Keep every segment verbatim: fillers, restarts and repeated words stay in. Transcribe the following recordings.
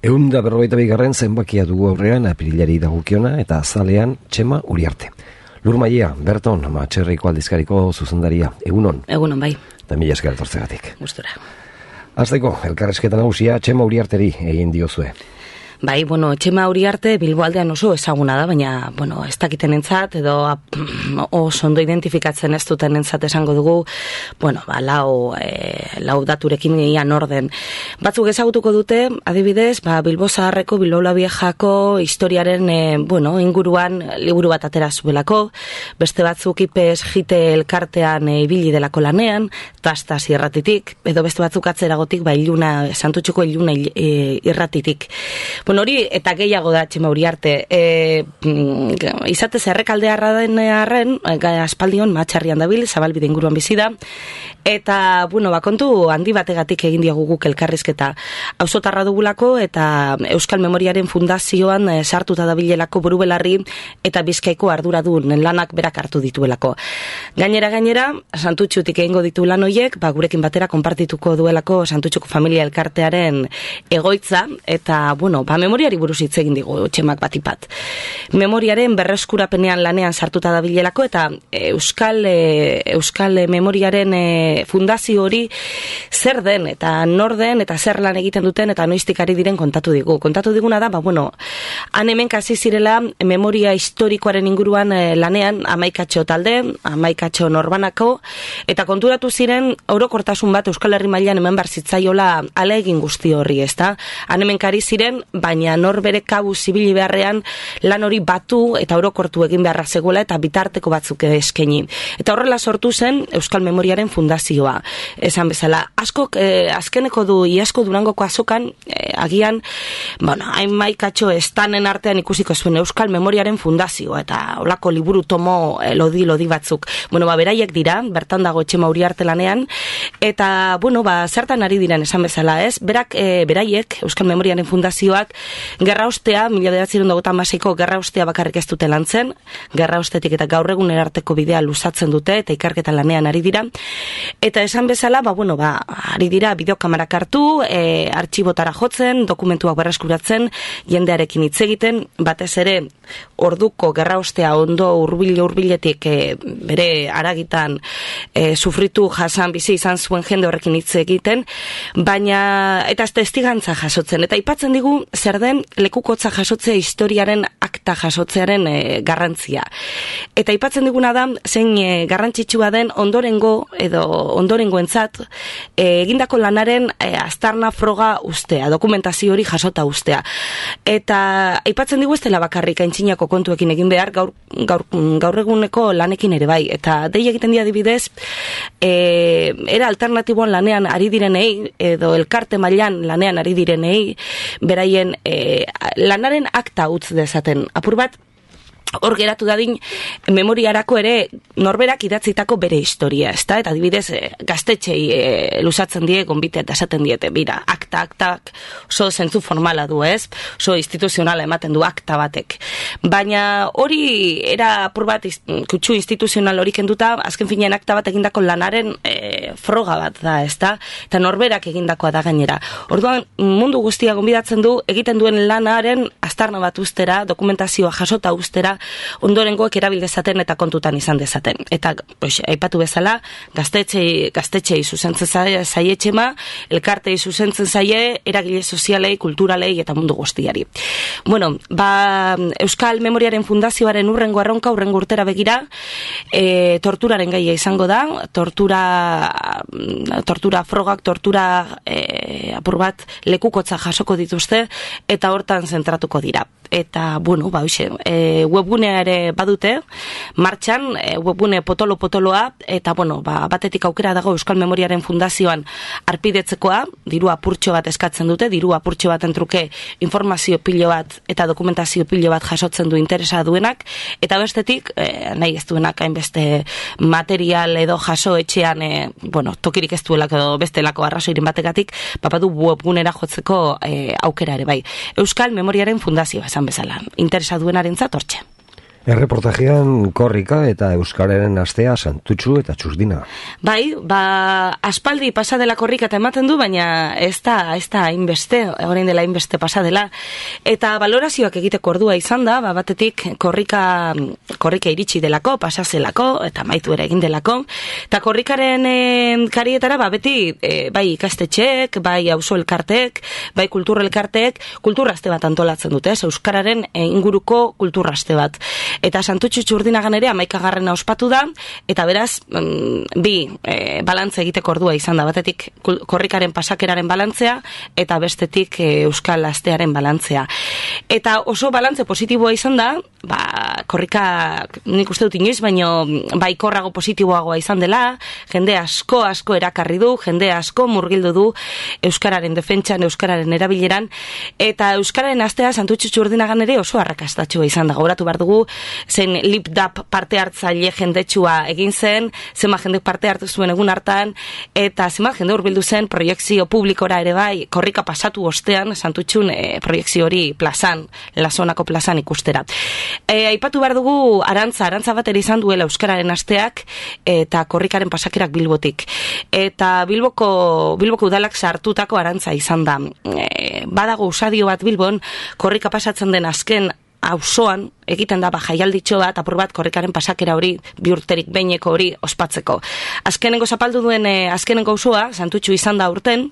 Ehun da berrogeita bigarren zenbakia dugu aurrean apirilari dagokiona eta azalean Txema Uriarte. Lur Maia, Berton, Matxerriko aldizkariko zuzendaria. Egunon. Egunon, bai. Eta mila esker etortzegatik. Gustura. Hasteko, elkarrezketa nagusia Txema Uriarteri egin diozue. Bai, bueno, Txema Uriarte Bilbo aldean oso ezaguna da, baina, bueno, ez dakiten entzat, edo oso ondo identifikatzen ez duten entzat esango dugu, bueno, ba, lau, e, lau daturekin ian orden. Batzuk ezagutuko dute, adibidez, ba, Bilbo Zaharreko, Bilbo la Viejako historiaren, e, bueno, inguruan liburu bat atera zuelako, beste batzuk ipes jite elkartean e, ibili delako lanean, tastas irratitik, edo beste batzuk atzeragotik, ba, iluna, Santutxuko iluna e, irratitik. Bueno, hori eta gehiago da Txema Uriarte. E, izatez errekaldearra den arren, aspaldion Matxarrian dabil, Zabalbide inguruan bizi da, eta, bueno, bakontu handi bategatik egin diagu guk elkarrizketa. Auzotarra dugulako eta Euskal Memoriaren Fundazioan e, sartuta dabilelako burubelarri eta Bizkaiko arduradun lanak berak hartu dituelako. Gainera gainera, Santutxutik egingo ditu lan hoiek, ba, gurekin batera konpartituko duelako Santutxuko familia elkartearen egoitza, eta, bueno, ba, memoriari buruz hitz egin digu Txemak batipat. Memoriaren berreskurapenean lanean sartuta dabilelako eta Euskal e, Euskal Memoriaren e, fundazio hori zer den eta nor den eta zer lan egiten duten eta noiztik ari diren kontatu digu. Kontatu diguna da, ba bueno, han hemen kasi zirela memoria historikoaren inguruan e, lanean hamaikatxo talde, hamaikatxo norbanako, eta konturatu ziren orokortasun bat Euskal Herri mailan hemen bar zitzaiola ala egin guzti horri, ezta? Han hemen kari ziren, baina nor bere kabu zibili beharrean lan hori batu eta orokortu egin beharra zegoela eta bitarteko batzuk eskaini. Eta horrela sortu zen Euskal Memoriaren Fundazioa. Esan bezala, askok eh, azkeneko du Iazko Durangoko azokan eh, agian, bueno, hamaikatxo estanen artean ikusiko zuen Euskal Memoriaren Fundazioa eta holako liburu tomo eh, lodi lodi batzuk. Bueno, ba beraiek dira, bertan dago Txema Uriarte lanean eta bueno, ba zertan ari diren esan bezala, ez? Berak eh, beraiek Euskal Memoriaren Fundazioak gerra ostea, mila bederatziehun eta hogeita hamaseiko gerra ostea bakarrik ez dute lantzen, gerra ostetik eta gaur egun arteko bidea luzatzen dute eta ikerketa lanean ari dira. Eta esan bezala, ba bueno, ba ari dira bideokamarak hartu, e, artxibotara jotzen, dokumentuak berreskuratzen, jendearekin hitz egiten, batez ere orduko gerra ostea ondo hurbil hurbiletik e, bere haragitan e, sufritu jasan bizi izan zuen jende horrekin hitz egiten, baina eta testigantza jasotzen eta aipatzen digu zer den lekukotza jasotzea historiaren akta jasotzearen e, garrantzia. Eta aipatzen diguna da zein e, garrantzitsua den ondorengo edo ondorengoentzat e, egindako lanaren e, aztarna froga ustea, dokumentazio hori jasota ustea. Eta aipatzen digu ez dela bakarrik aintzinako kontuekin egin behar, gaur, gaur, gaur eguneko lanekin ere bai. Eta dei egiten dira adibidez, e, era alternatiboan lanean ari direnei, edo elkarte mailan lanean ari direnei, beraien e, lanaren akta utz dezaten. Apur bat, hor geratu dadin memoriarako ere norberak idatzitako bere historia, ezta? Eta adibidez gaztetxei e, luzatzen die gonbite eta esaten diete, bira, akta, aktak oso zentzu formala du, ez? Oso instituzionala ematen du akta batek. Baina hori era apur bat kutsu instituzional hori kenduta, azken finean akta bat egindako lanaren e, froga bat da, ezta? Eta norberak egindakoa da gainera. Orduan mundu guztia gonbidatzen du egiten duen lanaren aztarna bat ustera, dokumentazioa jasota ustera, ondorengoek erabil dezaten eta kontutan izan dezaten. Eta, pues, aipatu bezala, gaztetxei, gaztetxei zuzentzen zaie Txema, elkartei zuzentzen zaie, eragile sozialei, kulturalei eta mundu guztiari. Bueno, ba, Euskal Memoriaren Fundazioaren urrengo erronka, urrengo urtera begira, e, torturaren gaia izango da, tortura, tortura frogak, tortura e, apur bat lekukotza jasoko dituzte, eta hortan zentratuko dira. Eta, bueno, ba, hoxe, e, webgunea ere badute, martxan, e, webgune potolo-potoloa, eta, bueno, ba, batetik aukera dago Euskal Memoriaren Fundazioan arpidetzekoa, diru apurtxo bat eskatzen dute, diru apurtxo bat entruke informazio pilo bat eta dokumentazio pilo bat jasotzen du interesa duenak, eta bestetik, e, nahi ez duenak hainbeste material edo jaso etxean, e, bueno, tokirik ez duelako edo bestelako arrazoiren bategatik, papadu webgunera jotzeko e, aukera ere bai. Euskal Memoriaren Fundazioa esan bezala, interesa duenaren zatortxe. Erreportajean korrika eta euskararen astea Santutxu eta Txurdina. Bai, ba, aspaldi pasadela korrika eta ematen du, baina ez da, ez da hainbeste, orain dela hainbeste pasadela. Eta valorazioak egiteko ordua izan da, ba, batetik korrika, korrika iritsi delako, pasazelako, eta maitu ere egin delako. Eta korrikaren e, karietara, ba, beti, e, bai ikastetxeek, bai auzo elkarteek, bai kultur elkarteek, kulturrazte bat antolatzen dute, ez, euskararen e, inguruko kulturrazte bat. Eta Santutxu Txurdinagan ere amaikagarrena ospatu da, eta beraz, mm, bi e, balantze egiteko ordua izan da, batetik korrikaren pasakeraren balantzea, eta bestetik e, euskal astearen balantzea. Eta oso balantze positiboa izan da, ba, korrika nik uste dut inoiz, baino baikorrago positiboagoa izan dela, jende asko asko erakarri du, jende asko murgildu du euskararen defentsan, euskararen erabileran, eta euskararen astea Santutxu Txurdinagan ere oso arrakastatxua izan da. Gauratu behar dugu, zen lipdap parte hartzaile jendetsua egin zen, zenbat jendek parte hartu zuen egun hartan, eta zenbat jende hurbildu zen proiekzio publikora ere bai, korrika pasatu ostean, Santutxun e, proiekzio hori plazan, Lasonako plazan ikustera. E, aipatu behar dugu arantza, arantza bat ere izan duela euskararen asteak, eta korrikaren pasakerak Bilbotik. Eta Bilboko, Bilboko udalak sartutako arantza izan da. E, badago usadio bat Bilbon, korrika pasatzen den azken auzoan egiten da ba jaialditxo bat, apur bat korrikaren pasakera hori, bi urterik behineko hori ospatzeko. Azkenengo zapaldu duen e, azkenengo auzoa Santutxu izan da urten,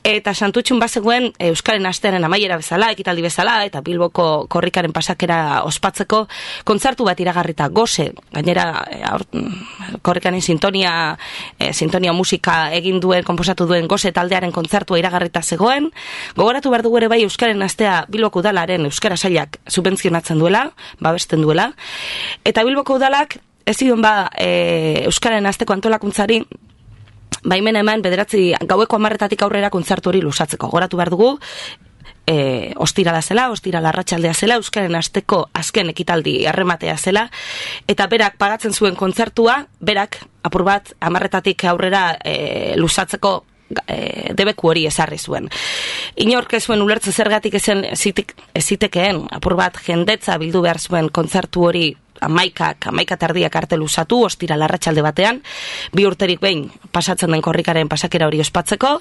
eta Santutxun bazegoen e, euskaren astearen amaiera bezala, ekitaldi bezala, eta Bilboko korrikaren pasakera ospatzeko kontzertu bat iragarrita goze, gainera e, aur, korrikaren sintonia e, sintonia musika egin duen, konposatu duen goze taldearen kontzertua iragarrita zegoen. Gogoratu behar dugu ere bai euskaren astea Bilboko udalaren euskara sailak subentzionatzen duela, babesten duela, eta Bilboko udalak ez zion ba e, euskaren asteko antolakuntzari baimena eman bederatzi gaueko hamarretatik aurrera kontzertu hori lusatzeko. Goratu behar dugu e, ostirala zela, ostirala arratsaldea zela, euskaren asteko azken ekitaldi arrematea zela, eta berak pagatzen zuen kontzertua, berak apur bat hamarretatik aurrera e, lusatzeko E, debeku hori ezarri zuen. Inork ez zuen ulertze zergatik ezen ezitekeen, apur bat jendetza bildu behar zuen kontzertu hori amaikak, amaika tardiak arte luzatu, ostira larratxalde batean, bi urterik behin pasatzen den korrikaren pasakera hori ospatzeko,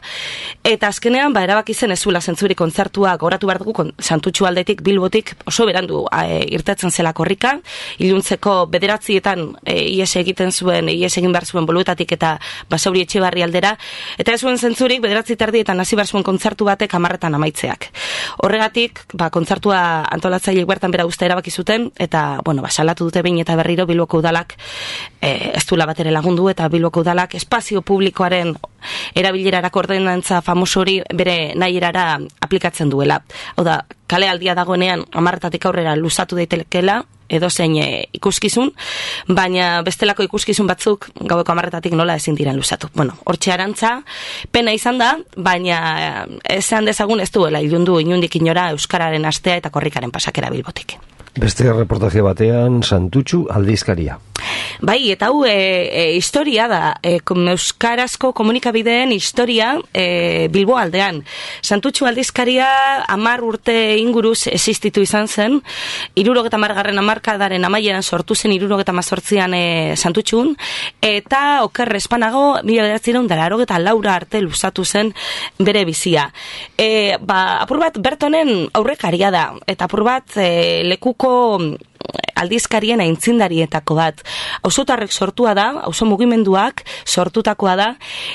eta azkenean, ba, erabaki zen ez zuela zentzuri kontzertua goratu behar dugu, Santutxu aldetik, Bilbotik, oso berandu e, irtetzen zela korrika, iluntzeko bederatzietan e, ies egiten zuen, ies egin behar zuen boluetatik eta Basauri Etxebarri aldera, eta ez zuen zentzurik, bederatzi tardietan hasi behar zuen kontzertu batek hamarretan amaitzeak. Horregatik, ba, kontzertua antolatzaileek bertan bera uste erabaki zuten, eta, bueno, ba, salatu dute behin eta berriro Bilboko udalak e, ez duela bat ere lagundu, eta Bilboko udalak espazio publikoaren erabilerarako ordenantza famoso hori bere nahierara aplikatzen duela. Hau da, kale aldia dagoenean hamarretatik aurrera luzatu daitekeela edo zein e, ikuskizun, baina bestelako ikuskizun batzuk gaueko hamarretatik nola ezin diren luzatu. Bueno, hortxe arantza, pena izan da, baina esan dezagun ez duela ilundu inundik inora euskararen astea eta korrikaren pasakera Bilbotik. Beste reportaje batean Santutxu aldizkaria. Bai, eta hau e, e, historia da, e, euskarazko komunikabideen historia e, Bilbo aldean. Santutxu aldizkaria hamar urte inguruz existitu izan zen, hirurogeta hamargarren hamarkadaren amaieran sortu zen hirurogeta hamazortzian e, Santutxun, eta oker espanago mila bederatziehun eta laurogeta laura arte luzatu zen bere bizia. E, ba, apur bat Bertonen aurrekaria da, eta apur bat e, lekuko aldizkarien aintzindarietako bat. Auzotarrek sortua da, auzo mugimenduak sortutakoa da,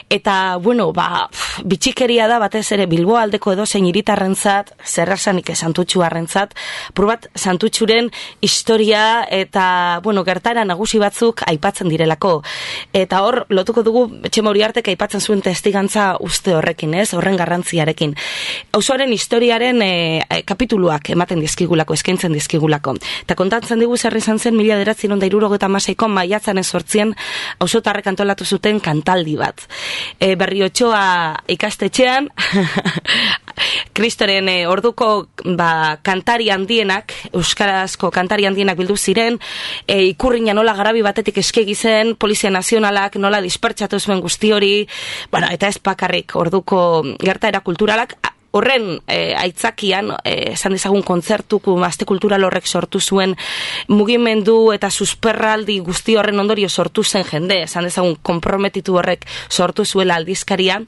eta, bueno, ba, bitxikeria da batez ere Bilbo aldeko edozein hiritarrentzat, zerrasanik Santutxuarrentzat, probat Santutxuren historia eta, bueno, gertara nagusi batzuk aipatzen direlako. Eta hor, lotuko dugu, Txema Uriartek aipatzen zuen testigantza uste horrekin, ez? Horren garrantziarekin. Auzoaren historiaren e, e, kapituluak ematen dizkigulako, eskaintzen dizkigulako. Eta kontatzen digu zer izan zen mila bederatziehun eta hirurogeta hamaseiko maiatzaren zortzian auzotarrek antolatu zuten kantaldi bat. E, Berriotxoa ikastetxean Kristoren e, orduko ba, kantari handienak, euskarazko kantari handienak bildu ziren, e, ikurriña nola garabi batetik eskegi zen, Polizia Nazionalak nola dispertsatu zuen guzti hori, bueno, eta ez bakarrik orduko gertaera kulturalak, horren e, aitzakian, e, esan dezagun kontzertuko aste kultural horrek sortu zuen mugimendu eta susperraldi guzti horren ondorio sortu zen jende, esan dezagun konprometitu horrek sortu zuela aldizkaria,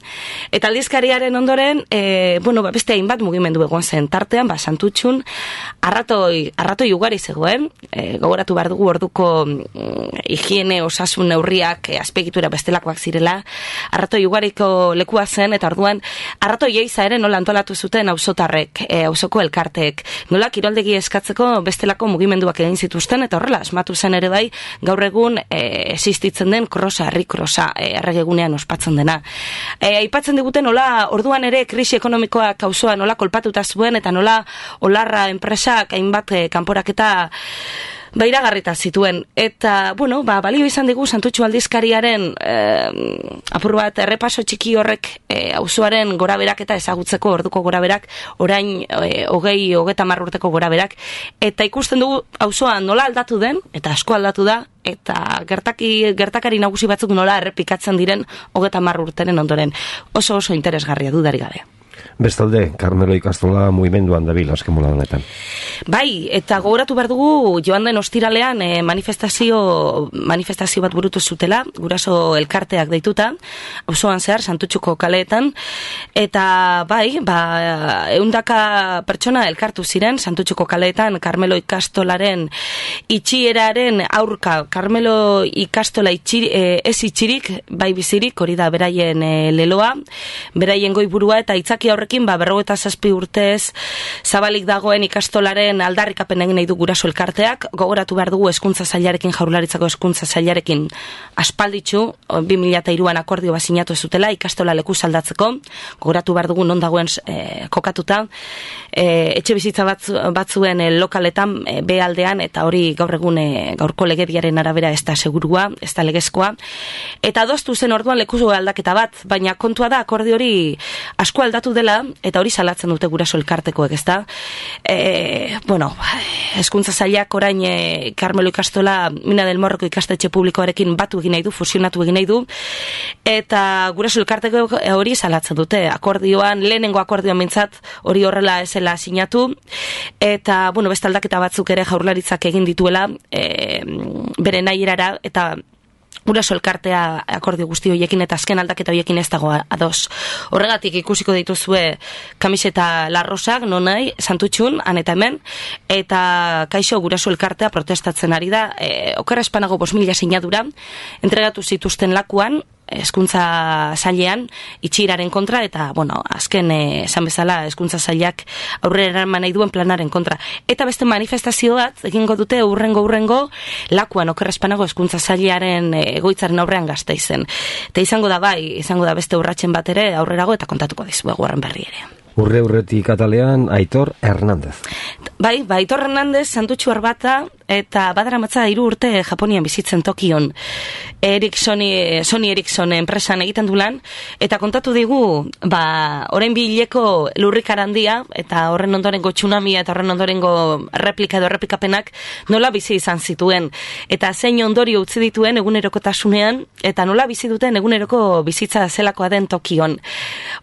eta aldizkariaren ondoren, e, bueno, ba, beste hainbat mugimendu egon zen tartean, ba, Santutxun, arratoi, arratoi ugari zegoen, e, gogoratu behar dugu orduko mm, higiene osasun neurriak e, azpegitura bestelakoak zirela, arratoi ugariko lekua zen, eta orduan, arratoi eiza ere nola antolatu zuten auzotarrek, e, auzoko elkarteek, nola kiroldegi eskatzeko bestelako mugimenduak egin zituzten, eta horrela, asmatu zen ere bai, gaur egun e, existitzen den krosa, herri krosa, e, erregegunean ospatzen dena. E, aipatzen digute nola, orduan ere krisi ekonomikoak auzoa nola kolpatuta zuen, eta nola olarra enpresak hainbat e, kanporaketa ba, iragarrita zituen. Eta, bueno, ba, balio izan digu Santutxu aldizkariaren eh, apur bat errepaso txiki horrek eh, auzoaren goraberak eta ezagutzeko orduko goraberak, orain eh, hogei, hogeta marrurteko goraberak. Eta ikusten dugu auzoa nola aldatu den, eta asko aldatu da, eta gertaki, gertakari nagusi batzuk nola errepikatzen diren hogeta marrurtenen ondoren. Oso oso interesgarria dudarik gabe. Bestalde, Karmelo ikastola mugimenduan dabil azken mola honetan. Bai, eta gogoratu behar dugu joan den ostiralean eh, manifestazio, manifestazio bat burutu zutela, guraso elkarteak deituta, auzoan zehar, Santutxuko kaleetan, eta bai, ba, eundaka pertsona elkartu ziren, Santutxuko kaleetan, Karmelo ikastolaren itxieraren aurka, Karmelo ikastola itxiri, eh, ez itxirik, bai bizirik, hori da beraien eh, leloa, beraien goiburua eta itzaki horrekin, ba, berrogeta zazpi urtez zabalik dagoen ikastolaren aldarrikapen egin nahi du guraso elkarteak, gogoratu behar dugu hezkuntza sailarekin, Jaurlaritzako hezkuntza sailarekin aspalditxu, bi mila hiruan akordio bat sinatu zutela ikastola leku aldatzeko, gogoratu behar dugu non dagoen e, kokatuta, e, etxe bizitza batzu, batzuen e, lokaletan, e, behaldean, eta hori gaur egun e, gaurko legediaren arabera ez da segurua, ez da legezkoa, eta doztu zen orduan leku aldaketa bat, baina kontua da akordio hori asko aldatu dela, eta hori salatzen dute guraso elkartekoek, ezta? E, bueno, hezkuntza sailak orain e, Karmelo ikastola Mina del Morroko ikastetxe publikoarekin batu egin nahi du, fusionatu egin nahi du, eta guraso elkarteko hori salatzen dute. Akordioan, lehenengo akordioan mintzat, hori horrela ezela sinatu, eta, bueno, beste aldaketa batzuk ere Jaurlaritzak egin dituela, e, bere nahi erara, eta guraso elkartea akordio guzti horiekin eta azken aldaketa horiekin ez dago ados. Horregatik ikusiko dituzue kamiseta larrosak, non nahi, Santutxun, han eta hemen, eta kaixo guraso elkartea protestatzen ari da, e, okerra espanago bost mila sinadura, entregatu zituzten lakuan, hezkuntza sailean itxiraren kontra, eta, bueno, azken esan bezala hezkuntza sailak aurrera eraman nahi duen planaren kontra. Eta beste manifestazio bat, egingo dute urrengo urrengo lakuan okerra espanago hezkuntza sailearen egoitzaren aurrean Gasteizen. Eta izango da bai, izango da beste urratsen bat ere aurrerago eta kontatuko dizuegu horren berri ere. Urre urretik atalean Aitor Hernández. Bai, ba, Aitor Hernández, Santutxu Arbata, eta badaramatza hiru urte Japonian bizitzen Tokion. Ericsoni, Sony Ericsson enpresan egiten du lan, eta kontatu digu, ba, orain bileko lurrikar handia, eta horren ondorengo tsunamia, eta horren ondorengo replika edo repikapenak nola bizi izan zituen. Eta zein ondorio utzi dituen egunerokotasunean, eta nola bizi duten eguneroko bizitza zelakoa den Tokion.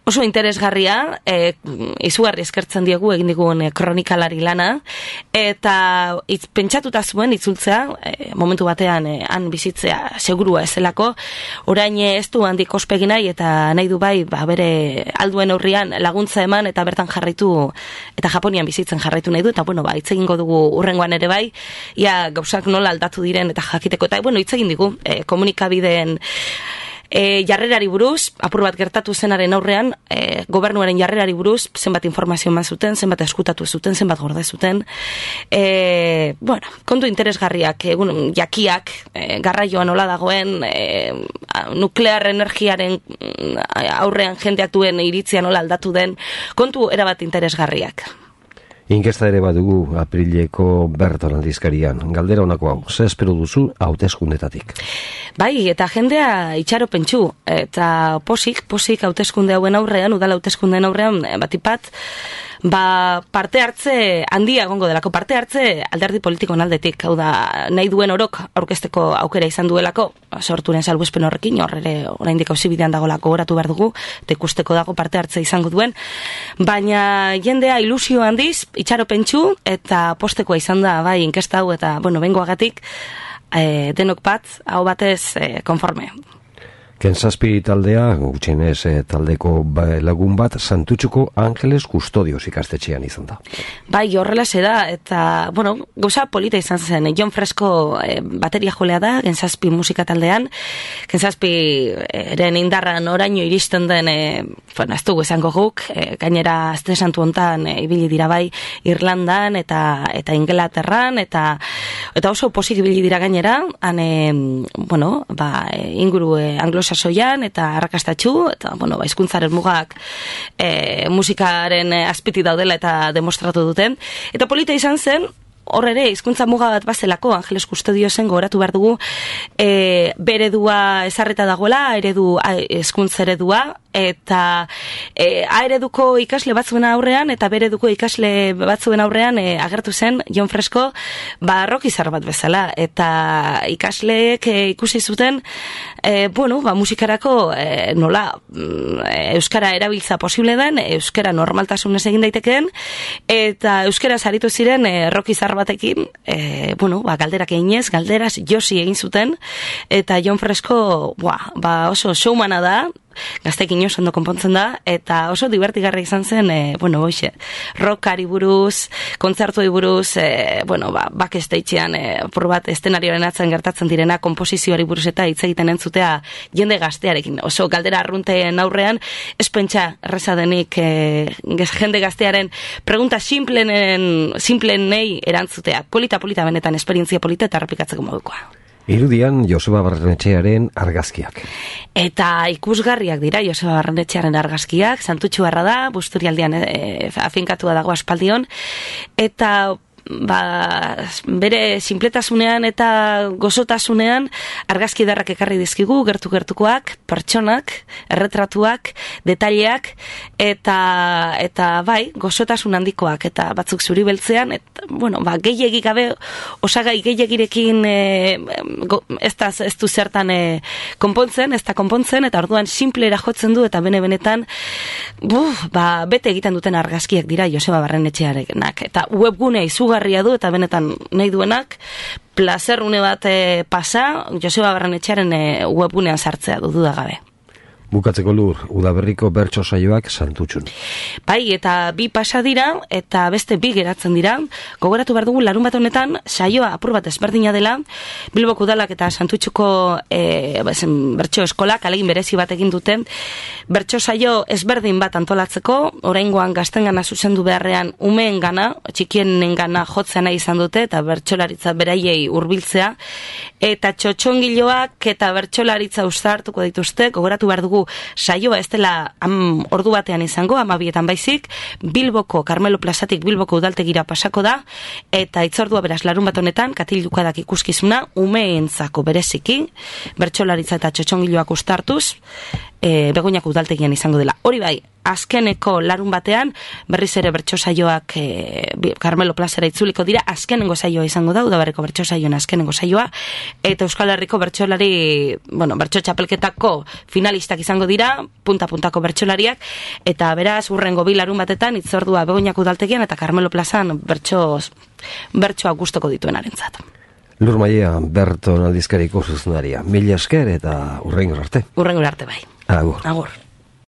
Oso interesgarria, e, izugarri eskertzen diegu egin digun e, kronikalari lana, eta itz, pentsatuta zuen itzultzea, e, momentu batean e, han bizitzea segurua ezelako, orain ez du handik ospegi nahi, eta nahi du bai, ba, bere alduen aurrian laguntza eman, eta bertan jarraitu, eta Japonian bizitzen jarraitu nahi du, eta bueno, ba, hitz egingo dugu urrengoan ere bai, ia gauzak nola aldatu diren eta jakiteko, eta bueno, hitz egin digu, e, komunikabideen E, jarrerari buruz, apur bat gertatu zenaren aurrean, e, gobernuaren jarrerari buruz, zenbat informazio eman zuten, zenbat eskutatu zuten, zenbat gorde zuten. E, bueno, kontu interesgarriak, egun jakiak, e, garraioan nola dagoen, e, nuklear energiaren aurrean jendeak duen iritzia nola aldatu den, kontu erabat interesgarriak. Inkesta ere badugu aprileko Berton aldizkarian. Galdera honako hau, ze espero duzu hauteskundetatik? Bai, eta jendea itxaro pentsu, eta posik, posik hauteskunde hauen aurrean, udala hauteskundeen aurrean, batipat, ba, parte hartze handia egongo delako, parte hartze alderdi politikoen aldetik, hau da, nahi duen orok aurkezteko aukera izan duelako, sorturen salbuespen horrekin, hor ere oraindik auzibidean dagolako goratu behar dugu, eta ikusteko dago parte hartze izango duen, baina jendea ilusio handiz, itxaro pentsu, eta postekoa izan da, bai, inkesta hau, eta, bueno, bengoagatik, e, denok bat, hau batez, e, konforme. Kenzazpi taldea, gutxienez e, taldeko lagun bat, Santutxuko Angeles Kustodios ikastetxean izan da. Bai, horrela se da, eta, bueno, gauza polita izan zen, Jon Fresko e, bateria jolea da, Kenzazpi musika taldean, Kenzazpi eren indarran oraino iristen den, e, bueno, ez dugu esango guk, e, gainera azte santu hontan e, ibili dira bai Irlandan eta eta Inglaterran, eta eta oso posik ibili dira gainera, han, e, bueno, ba, e, inguru e, anglosasoian eta arrakastatxu, eta, bueno, ba, hizkuntzaren mugak e, musikaren azpiti daudela eta demostratu duten. Eta polita izan zen, hor ere, hizkuntza muga bat bazelako, Angeles Kustodiosen gogoratu behar dugu, e, beredua ezarreta dagoela, eredu, hizkuntza eredua, eta e, A ereduko ikasle batzuen aurrean, eta B ereduko ikasle batzuen aurrean e, agertu zen Jon Fresko, ba, rock izar bat bezala, eta ikasleek e, ikusi zuten, e, bueno, ba, musikarako e, nola e, euskara erabiltza posible den, euskara normaltasunez egin daitekeen, eta euskara saritu ziren e, rock izar batekin, e, bueno, ba, galderak eginez, galderaz josi egin zuten, eta Jon Fresko, ba, ba, oso showmana da, gaztekin oso ondo konpontzen da, eta oso divertigarra izan zen, e, bueno, hoxe, rockari buruz, kontzertuei buruz, e, bueno, ba, backstagean, e, por bat, estenarioaren atzen gertatzen direna, komposizioari buruz eta hitz egiten entzutea jende gaztearekin, oso galdera arrunteen aurrean, ez pentsa erreza denik e, jende gaztearen pregunta simplenen, simplenei erantzutea, polita, polita benetan, esperientzia polita eta errepikatzeko modukoa. Irudian Joseba Barrenetxearen argazkiak. Eta ikusgarriak dira Joseba Barrenetxearen argazkiak, Santutxuarra da, Busturialdean e, afinkatua dago aspaldion, eta ba, bere sinpletasunean eta gozotasunean argazki darrak ekarri dizkigu, gertu-gertukoak, pertsonak, erretratuak, detaileak, eta eta bai, gozotasun handikoak, eta batzuk zuri beltzean, eta, bueno, ba, gehiagik gabe, osagai gehiagirekin e, go, ez, da, ez du zertan e, konpontzen, ez da konpontzen, eta orduan simplera jotzen du, eta bene-benetan, buf, ba, bete egiten duten argazkiak dira Joseba Barrenetxearenak, eta webgunea izugarria du, eta benetan nahi duenak, plazerrune bat e, pasa, Joseba Barrenetxearen e, webgunean sartzea du dudagabe. Bukatzeko Lur, udaberriko bertso saioak Santutxun. Bai, eta bi pasa dira, eta beste bi geratzen dira. Gogoratu behar dugu, larun bat honetan, saioa apur bat ezberdina dela, Bilboko udalak eta Santutxuko e, bertso eskolak alegin berezi bat egin duten, bertso saio ezberdin bat antolatzeko, oraingoan gaztengana zuzendu beharrean umeen gana, txikienen gana jotzea nahi izan dute, eta bertsolaritza beraiei hurbiltzea, eta txotxongiloak eta bertsolaritza uztartuko dituzte, gogoratu behar dugu saioa ez dela am, ordu batean izango, amabietan baizik, Bilboko, Carmelo Plazatik Bilboko udaltegira pasako da, eta itzordua beraz larun bat honetan, katilukadak ikuskizuna, umeentzako bereziki, bertsolaritza eta txotxongiloak ustartuz, e, Begoñako udaltegian izango dela. Hori bai, azkeneko larun batean, berriz ere bertso saioak e, Carmelo Plazara itzuliko dira, azkenengo saioa izango da, udaberriko bertso saioan azkenengo saioa, eta Euskal Herriko bertsolari, bueno, bertso txapelketako finalistak izango dira, punta-puntako bertsolariak, eta beraz, urrengo bi larun batetan, itzordua Begoñako udaltegian, eta Carmelo Plazan bertso, bertsoak gustoko dituenarentzat. Lur Maia, Berton aldizkariko zuzendaria. Mila esker eta urrengor arte. Urrengor arte bai. Agur. Agur.